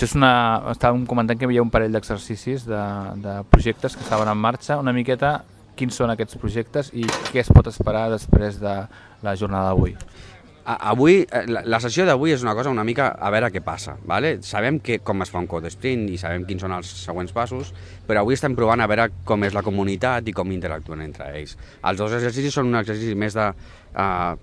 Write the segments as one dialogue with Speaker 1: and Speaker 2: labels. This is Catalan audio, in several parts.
Speaker 1: Estàvem comentant que hi havia un parell d'exercicis de projectes que estaven en marxa. Una miqueta quins són aquests projectes i què es pot esperar després de la jornada d'avui.
Speaker 2: Avui, la sessió d'avui és una cosa una mica a veure què passa. Vale? Sabem com es fa un code sprint i sabem quins són els següents passos, però avui estem provant a veure com és la comunitat i com interactuen entre ells. Els dos exercicis són un exercici més de a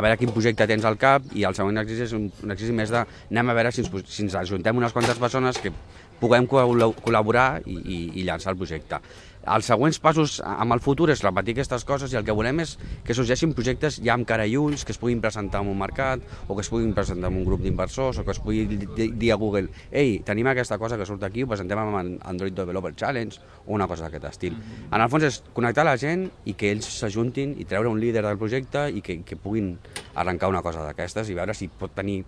Speaker 2: veure quin projecte tens al cap, i el següent exercici és un exercici més de anem a veure si ens ajuntem unes quantes persones que puguem col·laborar i llançar el projecte. Els següents passos amb el futur és repetir aquestes coses, i el que volem és que sorgeixin projectes ja amb cara i ulls, que es puguin presentar en un mercat, o que es puguin presentar en un grup d'inversors, o que es pugui dir a Google: ei, tenim aquesta cosa que surt aquí, ho presentem amb Android Developer Challenge, o una cosa d'aquest estil. En el fons és connectar la gent i que ells s'ajuntin i treure un líder del projecte i que puguin arrencar una cosa d'aquestes i veure si pot tenir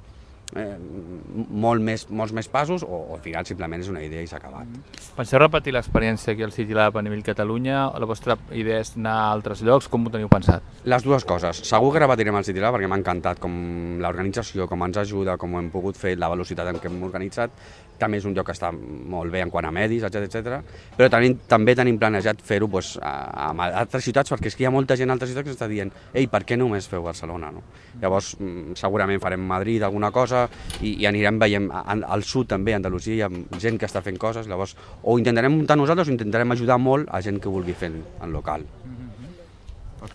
Speaker 2: molts més passos, o al final simplement és una idea i s'ha acabat.
Speaker 1: Penseu repetir l'experiència aquí al City Lab a nivell Catalunya? La vostra idea és anar a altres llocs? Com ho teniu pensat?
Speaker 2: Les dues coses. Segur que repetirem el City Lab perquè m'ha encantat com l'organització, com ens ajuda, com ho hem pogut fer, la velocitat en què hem organitzat. També és un lloc que està molt bé en quant a medis, etc. Però també tenim planejat fer-ho a altres ciutats, perquè és que hi ha molta gent a altres ciutats que està dient: ei, per què només feu Barcelona? No? Llavors, segurament farem Madrid alguna cosa, i anirem veient al sud també, a Andalusia, hi ha gent que està fent coses. Llavors, o intentarem muntar nosaltres o intentarem ajudar molt a gent que vulgui fer en local.